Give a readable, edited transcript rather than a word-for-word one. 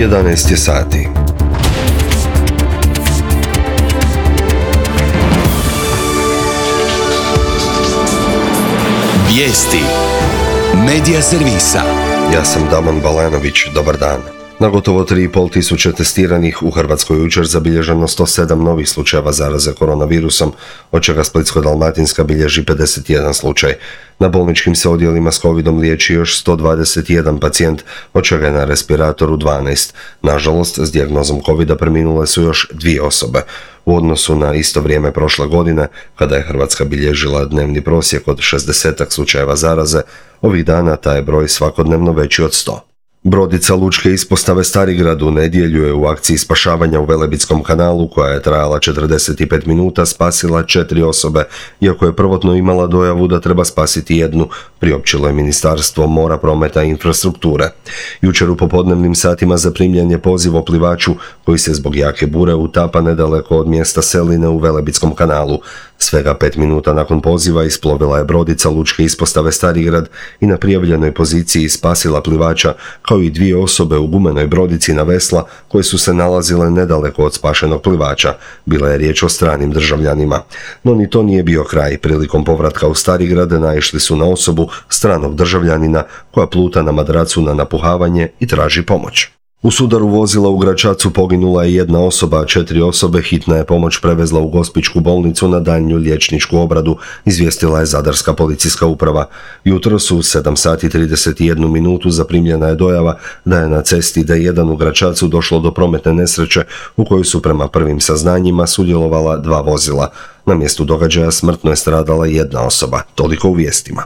11 je sati. Vijesti Medija servisa. Ja sam Damon Balanović, dobar dan. Na gotovo 3,5 tisuće testiranih u Hrvatskoj jučer zabilježeno 107 novih slučajeva zaraze koronavirusom, od čega Splitsko-dalmatinska bilježi 51 slučaj. Na bolničkim se odjelima s covidom liječi još 121 pacijent, od čega je na respiratoru 12. Nažalost, s dijagnozom covida preminule su još 2 osobe. U odnosu na isto vrijeme prošle godine, kada je Hrvatska bilježila dnevni prosjek od 60 slučajeva zaraze, ovih dana taj je broj svakodnevno veći od 100. Brodica lučke ispostave Starigrad u nedjelju je u akciji spašavanja u Velebitskom kanalu, koja je trajala 45 minuta, spasila 4 osobe, iako je prvotno imala dojavu da treba spasiti jednu, priopćilo je Ministarstvo mora, prometa i infrastrukture. Jučer u popodnevnim satima zaprimljen je poziv o plivaču koji se zbog jake bure utapa nedaleko od mjesta Seline u Velebitskom kanalu. Svega 5 minuta nakon poziva isplovila je brodica lučke ispostave Starigrad i na prijavljenoj poziciji spasila plivača, kao i 2 osobe u gumenoj brodici na vesla koje su se nalazile nedaleko od spašenog plivača. Bila je riječ o stranim državljanima. No ni to nije bio kraj. Prilikom povratka u Starigrad naišli su na osobu stranog državljanina koja pluta na madracu na napuhavanje i traži pomoć. U sudaru vozila u Gračacu poginula je 1 osoba, a 4 osobe hitna je pomoć prevezla u Gospićku bolnicu na daljnju liječničku obradu, izvijestila je Zadarska policijska uprava. Jutros u 7 sati 31 minutu zaprimljena je dojava da je na cesti D1 u Gračacu došlo do prometne nesreće u kojoj su prema prvim saznanjima sudjelovala 2 vozila. Na mjestu događaja smrtno je stradala 1 osoba. Toliko u vijestima.